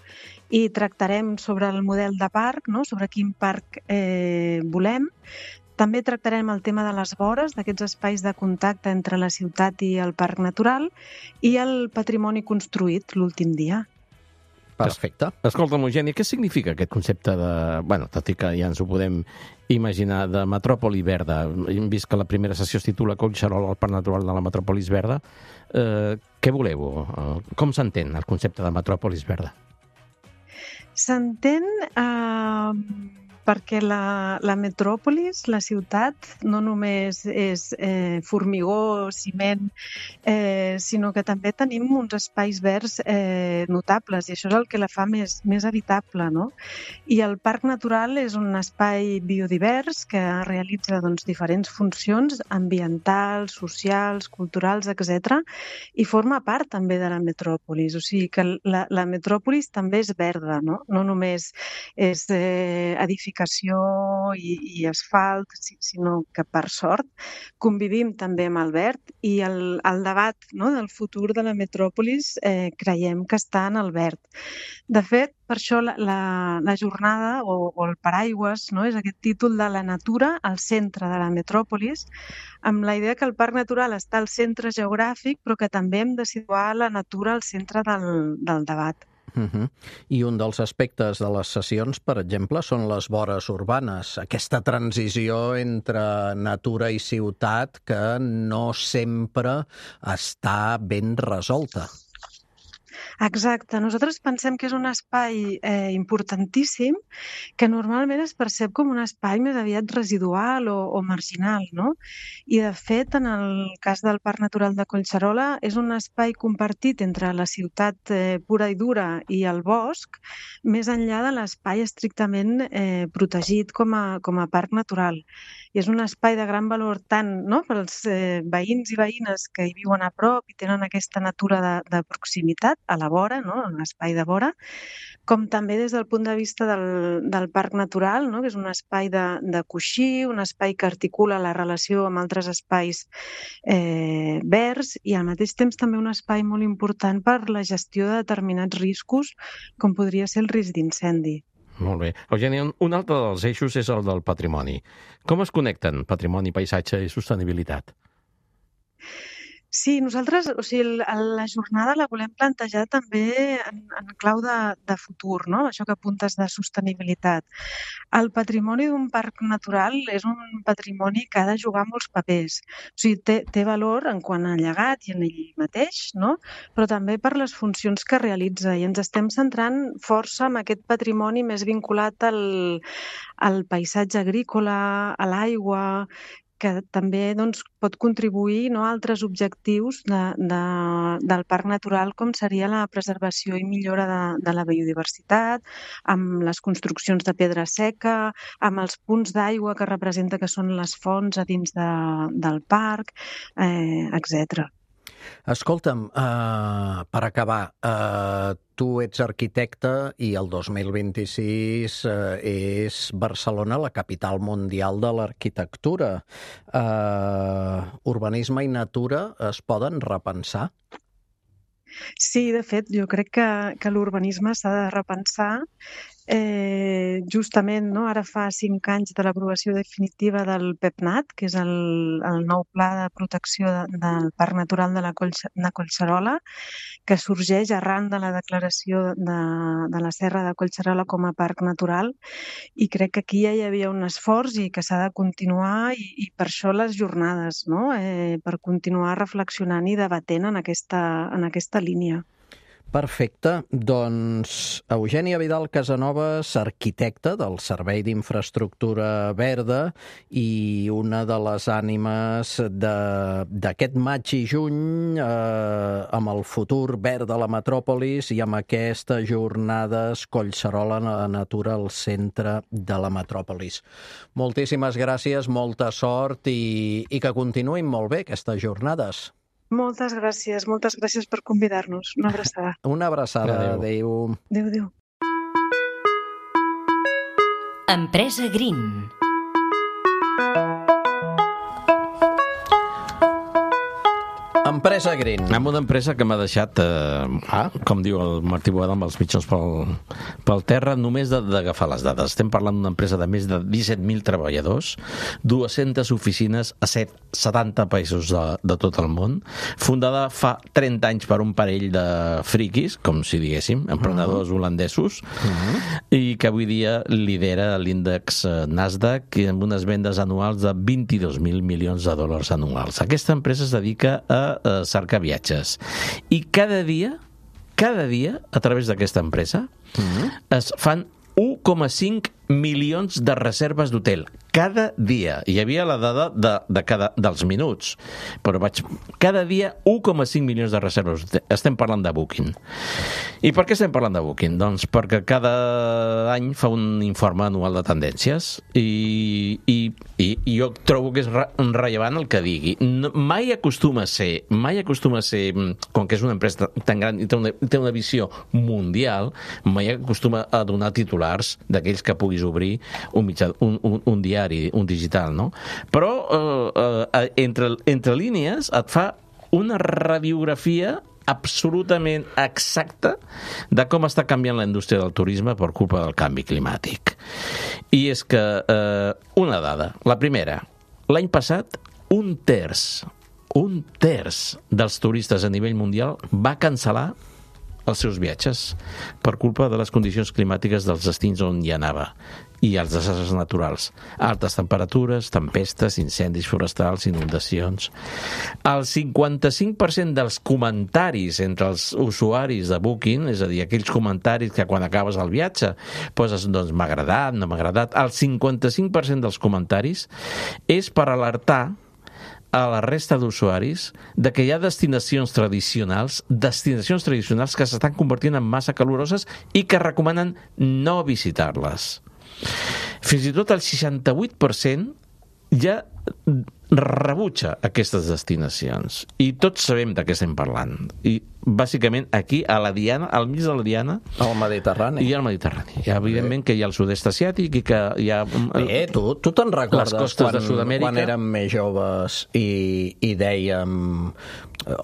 I tractarem sobre el model de parc, no? Sobre quin parc volem. També tractarem el tema de les vores, d'aquests espais de contacte entre la ciutat i el parc natural, i el patrimoni construït l'últim dia. Perfecte. Escolta'm, Eugènia, què significa aquest concepte de... Bueno, tot i que ja ens ho podem imaginar, de metròpoli verda. Hem vist que la primera sessió es titula Collserola, el parc natural de la metròpolis verda. Què voleu? Com s'entén el concepte de metròpolis verda? S'entén perquè la metròpolis, la ciutat, no només és formigó, ciment, sinó que també tenim uns espais verds notables, i això és el que la fa més habitable, no? I el parc natural és un espai biodivers que realitza diferents funcions ambientals, socials, culturals, etc. i forma part també de la metròpolis. O sigui que la metròpolis també és verda, no? No només és edificació i asfalt, sinó que, per sort, convivim també amb el verd i el debat, no, del futur de la metròpolis creiem que està en el verd. De fet, per això la jornada o el paraigües, no, és aquest títol de la natura al centre de la metròpolis, amb la idea que el parc natural està al centre geogràfic, però que també hem de situar la natura al centre del debat. I un dels aspectes de les sessions, per exemple, són les vores urbanes, aquesta transició entre natura i ciutat que no sempre està ben resolta. Exacte. Nosaltres pensem que és un espai importantíssim que normalment es percep com un espai més aviat residual o marginal, no? I, de fet, en el cas del Parc Natural de Collserola, és un espai compartit entre la ciutat pura i dura i el bosc, més enllà de l'espai estrictament protegit com a parc natural. I és un espai de gran valor tant, no, pels veïns i veïnes que hi viuen a prop i tenen aquesta natura de proximitat a la la vora, no? En l'espai de vora, com també des del punt de vista del parc natural, no? Que és un espai de coixí, un espai que articula la relació amb altres espais verds i al mateix temps també un espai molt important per la gestió de determinats riscos, com podria ser el risc d'incendi. Molt bé. Eugènia, un altre dels eixos és el del patrimoni. Com es connecten patrimoni, paisatge i sostenibilitat? Sí, nosaltres, la jornada la volem plantejar també en clau de futur, no? Això que apuntes de sostenibilitat. El patrimoni d'un parc natural és un patrimoni que ha de jugar molts papers. O sigui, té valor en quant a llegat i en ell mateix, no? Però també per les funcions que realitza. I ens estem centrant força en aquest patrimoni més vinculat al paisatge agrícola, a l'aigua, que també pot contribuir a altres objectius del parc natural, com seria la preservació i millora de la biodiversitat, amb les construccions de pedra seca, amb els punts d'aigua que representa que són les fonts a dins del parc, etc. Escolta'm, per acabar, tu ets arquitecte i el 2026 és Barcelona la capital mundial de l'arquitectura. Urbanisme i natura es poden repensar? Sí, de fet, jo crec que l'urbanisme s'ha de repensar. Justament, no? Ara fa 5 anys de l'aprovació definitiva del PEPNAT, que és el nou pla de protecció del Parc Natural de la Collserola, que sorgeix arran de la declaració de la Serra de Collserola com a parc natural, i crec que aquí ja hi havia un esforç i que s'ha de continuar, i per això les jornades, no? Per continuar reflexionant i debatent en aquesta línia. Perfecte. Doncs Eugènia Vidal Casanovas, arquitecta del Servei d'Infraestructura Verda i una de les ànimes d'aquest maig i juny amb el futur verd de la metròpolis i amb aquestes jornades Collserola Natura al centre de la metròpolis. Moltíssimes gràcies, molta sort i que continuïn molt bé aquestes jornades. Moltes gràcies per convidar-nos. Una abraçada. Una abraçada. Adéu. Adéu. Empresa Green. Empresa Green. Amb una empresa que m'ha deixat, com diu el Martí Boada, amb els mitjons pel terra, només d'agafar les dades. Estem parlant d'una empresa de més de 17.000 treballadors, 200 oficines a 70 països de tot el món, fundada fa 30 anys per un parell de friquis, com si diguéssim, emprenedors holandesos, i que avui dia lidera l'índex Nasdaq amb unes vendes anuals de 22.000 milions de dòlars anuals. Aquesta empresa es dedica a cercar viatges. I cada dia, a través d'aquesta empresa, es fan 1,5 milions de reserves d'hotel. Cada dia. Hi havia la dada dels minuts, però cada dia 1,5 milions de reserves. Estem parlant de Booking. I per què estem parlant de Booking? Doncs perquè cada any fa un informe anual de tendències i jo trobo que és rellevant el que digui. Mai acostuma a ser, com que és una empresa tan gran i té una visió mundial, mai acostuma a donar titulars d'aquells que puguis obrir un diari, un digital, no? Però entre línies et fa una radiografia absolutament exacta de com està canviant la indústria del turisme per culpa del canvi climàtic. I és que, una dada, la primera, l'any passat un terç dels turistes a nivell mundial va cancel·lar els seus viatges per culpa de les condicions climàtiques dels destins on hi anava i els desastres naturals. Altes temperatures, tempestes, incendis forestals, inundacions. El 55% dels comentaris entre els usuaris de Booking, és a dir, aquells comentaris que quan acabes el viatge poses, doncs, m'ha agradat, no m'ha agradat, el 55% dels comentaris és per alertar a la resta d'usuaris de que hi ha destinacions tradicionals que s'estan convertint en massa caloroses i que recomanen no visitar-les. Fins i tot el 68% ja rebutja aquestes destinacions. I tots sabem de què estem parlant. I bàsicament aquí, a la Diana, al mig de la Diana, al Mediterrani. Hi ha el Mediterrani. Hi ha, evidentment, que hi ha el sud-est asiàtic i que hi ha... tu te'n recordes les costes de Sud-amèrica? Quan érem més joves i dèiem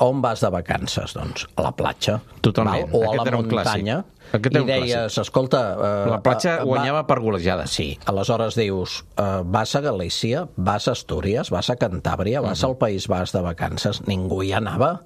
on vas de vacances? Doncs a la platja. Totalment. O a la muntanya. I deies, escolta... La platja guanyava per golejada. Sí. Aleshores dius, vas a Galícia, vas a Astúries, vas a Cantàbria, vas al País Basc de vacances. Ningú hi anava.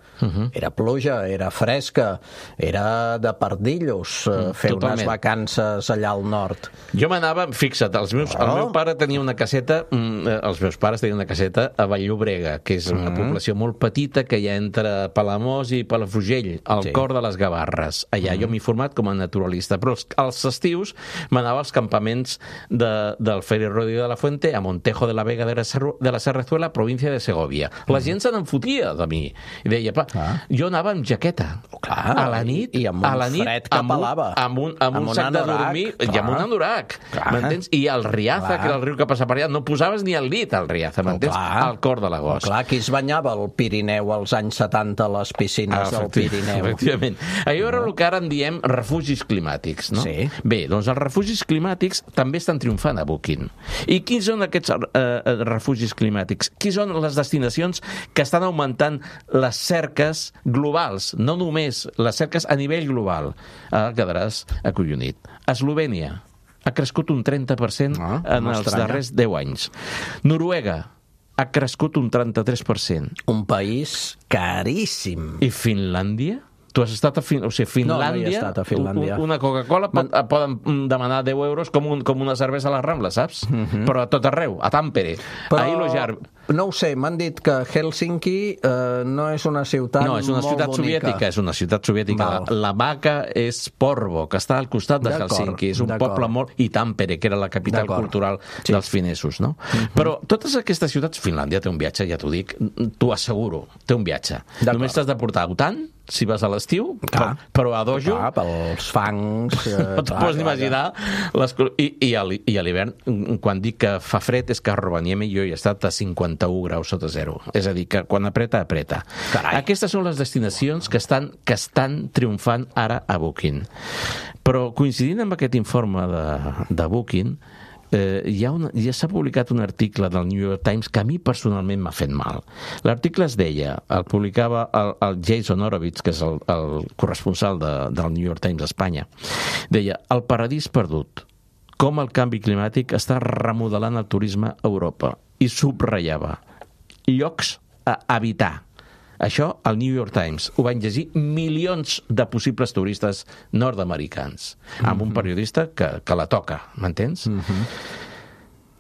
Era pluja, era fresca, era de pardillos fer unes vacances allà al nord. Jo m'anava, fixa't, el meu pare tenia una caseta, els meus pares tenien una caseta a Vall-llobrega, que és una població molt petita que hi ha entre Palamós i Palafrugell, al cor de les Gavarres. Allà jo m'he format com a naturalista, però als estius m'anava als campaments del Feri Rodríguez de la Fuente a Montejo de la Vega de la Serrazuela, província de Segovia. La gent se n'enfotia de mi. I deia, jo anava amb jaqueta. A la nit, i amb un fred que pelava. Amb un sac de dormir i amb un anorac. M'entens? I el Riaza, que era el riu que passa per allà, no posaves ni el dit al Riaza, m'entens? Al cor de l'agost. Clar, qui es banyava al Pirineu als anys 70 a les piscines del Pirineu? Efectivament. Allò era el que ara en diem refugis climàtics, no? Sí. Bé, doncs els refugis climàtics també estan triomfant a Booking. I quins són aquests refugis climàtics? Quines són les destinacions que estan augmentant les cerques globals, no només les cerques a nivell global? Quedaràs acollonit. Eslovènia ha crescut un 30% en els darrers 10 anys. Noruega ha crescut un 33%. Un país caríssim. I Finlàndia? Tu has estat a Finlàndia? No he estat a Finlàndia. Una Coca-Cola poden demanar 10 euros com una cervesa a la Rambla, saps? Però a tot arreu, a Tampere, a Ilojar. No ho sé, m'han dit que Helsinki no és una ciutat molt bonica. No, és una ciutat soviètica, és una ciutat soviètica. La Vaca és Porvo, que està al costat de Helsinki. És un poble molt... I Tampere, que era la capital cultural dels finesos, no? Però totes aquestes ciutats... Finlàndia té un viatge, ja t'ho dic, t'ho asseguro, té un viatge. Només t'has de portar autant, si vas a l'estiu, però a dojo... Pels fangs... No t'ho pots imaginar. I a l'hivern, quan dic que fa fred, és que a Rovaniemi jo he estat a 51 graus sota zero. És a dir, que quan apreta, apreta. Aquestes són les destinacions que estan triomfant ara a Booking. Però coincidint amb aquest informe de Booking, ja s'ha publicat un article del New York Times que a mi personalment m'ha fet mal. L'article es deia, el publicava el Jason Horowitz, que és el corresponsal del New York Times a Espanya, deia, el paradís perdut, com el canvi climàtic està remodelant el turisme a Europa, i subratllava llocs a evitar. Això al New York Times ho van llegir milions de possibles turistes nord-americans, amb un periodista que la toca, m'entens?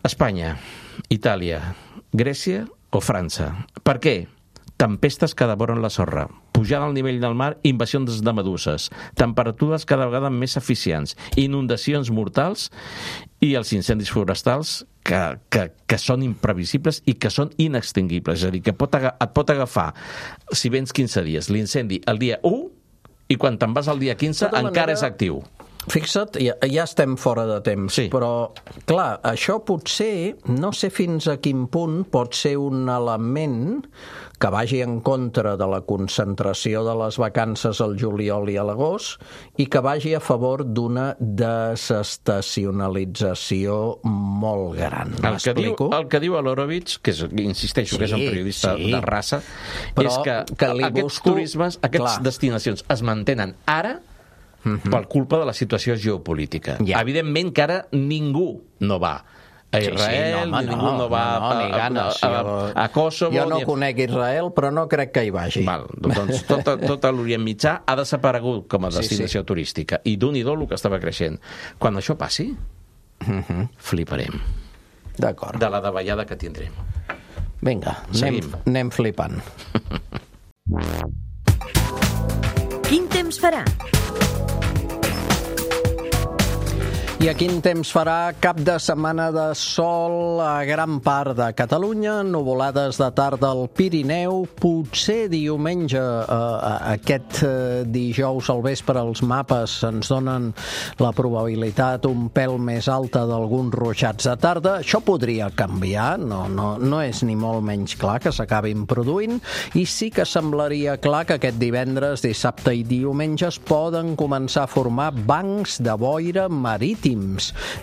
Espanya, Itàlia, Grècia o França. Per què? Tempestes que devoren la sorra, pujada al nivell del mar, invasions de meduses, temperatures cada vegada més eficients, inundacions mortals i els incendis forestals que són imprevisibles i que són inextinguibles. És a dir, que et pot agafar, si vens 15 dies, l'incendi el dia 1 i quan te'n vas al dia 15 encara és actiu. Fixa't, ja estem fora de temps, però, clar, això potser, no sé fins a quin punt pot ser un element que vagi en contra de la concentració de les vacances al juliol i a l'agost i que vagi a favor d'una desestacionalització molt gran. M'explico? El que diu l'Horowitz, que insisteixo que és un periodista de raça, és que aquests turismes, aquestes destinacions es mantenen ara per culpa de la situació geopolítica. Evidentment que ara ningú no va a Israel, ningú no va a Kosovo... Jo no conec Israel, però no crec que hi vagi. Doncs tot l'Orient Mitjà ha desaparegut com a destinació turística. I d'un-i-do el que estava creixent. Quan això passi, fliparem. D'acord. De la davallada que tindrem. Vinga, anem flipant. Quin temps farà? I a quin temps farà? Cap de setmana de sol a gran part de Catalunya, nuvolades de tarda al Pirineu, potser diumenge, aquest dijous al vespre els mapes ens donen la probabilitat un pèl més alta d'alguns ruixats de tarda. Això podria canviar, no és ni molt menys clar que s'acabin produint, i sí que semblaria clar que aquest divendres, dissabte i diumenge es poden començar a formar bancs de boira marítims.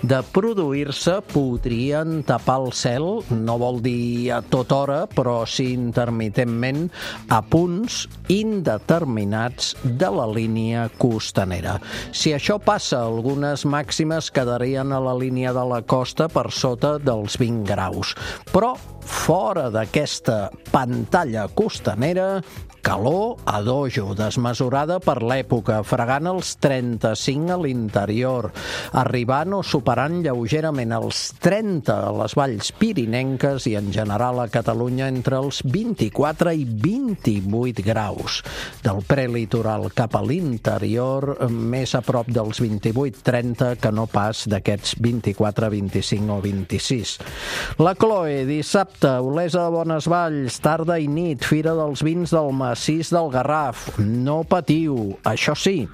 De produir-se podrien tapar el cel, no vol dir a tota hora, però sí intermitentment a punts indeterminats de la línia costanera. Si això passa, algunes màximes quedarien a la línia de la costa per sota dels 20 graus. Però fora d'aquesta pantalla costanera, calor a dojo, desmesurada per l'època, fregant els 35 a l'interior, arribant o superant lleugerament els 30 a les valls pirinenques i en general a Catalunya entre els 24 i 28 graus. Del prelitoral cap a l'interior, més a prop dels 28-30 que no pas d'aquests 24, 25 o 26. La Chloe, dissabte, Olesa de Bonesvalls, tarda i nit, Fira dels Vins del Massís del Garraf. No patiu, això sí,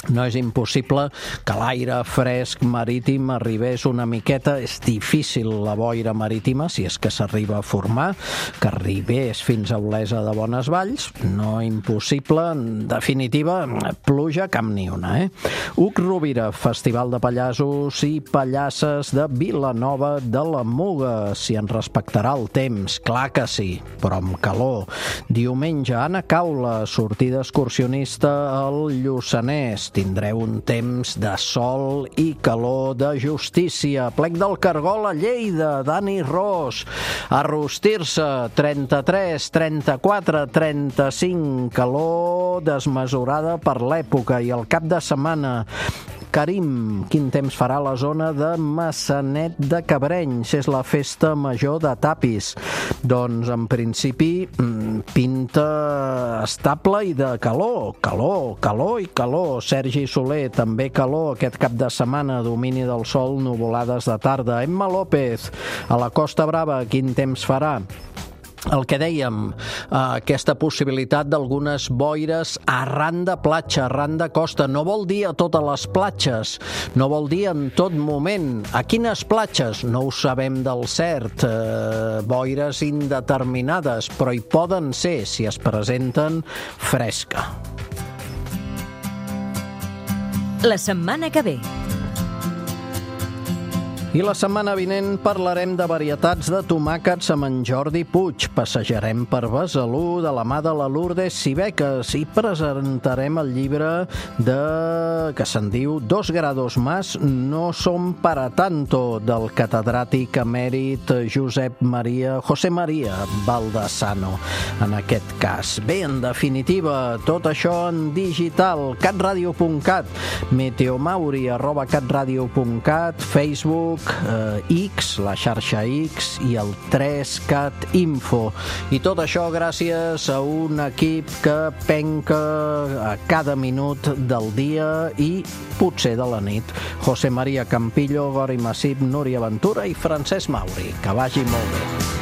no és impossible que l'aire fresc marítim arribés una miqueta. És difícil la boira marítima, si és que s'arriba a formar, que arribés fins a Olesa de Bonesvalls. No impossible, en definitiva, pluja cap ni una, Uc Rovira, Festival de Pallassos i Pallasses de Vilanova de la Muga. Si en respectarà el temps, clar que sí, però amb calor. Diumenge, Anna Caula, sortida excursionista al Lluçanès. Tindreu un temps de sol i calor de justícia. Plec del Cargol a Lleida, Dani Ros. A rostir-se, 33, 34, 35. Calor desmesurada per l'època. I el cap de setmana, Carim, quin temps farà a la zona de Massanet de Cabrenys? És la festa major de Tapis. Doncs, en principi, pinta estable i de calor. Calor i calor. Sergi Soler, també calor aquest cap de setmana. Domini del sol, nuvolades de tarda. Emma López, a la Costa Brava, quin temps farà? El que dèiem, aquesta possibilitat d'algunes boires arran de platja, arran de costa. No vol dir a totes les platges, no vol dir en tot moment. A quines platges? No ho sabem del cert. Boires indeterminades, però hi poden ser, si es presenten, fresca. La setmana que ve. I la setmana vinent parlarem de varietats de tomàquets amb en Jordi Puig. Passejarem per Besalú de la mà de la Lourdes Sibeques i presentarem el llibre que se'n diu 2 grados más no son para tanto, del catedràtic emèrit José María Baldasano, en aquest cas. Bé, en definitiva, tot això en digital, catradio.cat, meteomauri@catradio.cat, Facebook, X, la xarxa X i el 3cat Info. I tot això gràcies a un equip que penca a cada minut del dia i potser de la nit. José María Campillo, Gori Massip, Núria Ventura i Francesc Mauri. Que vagi molt bé.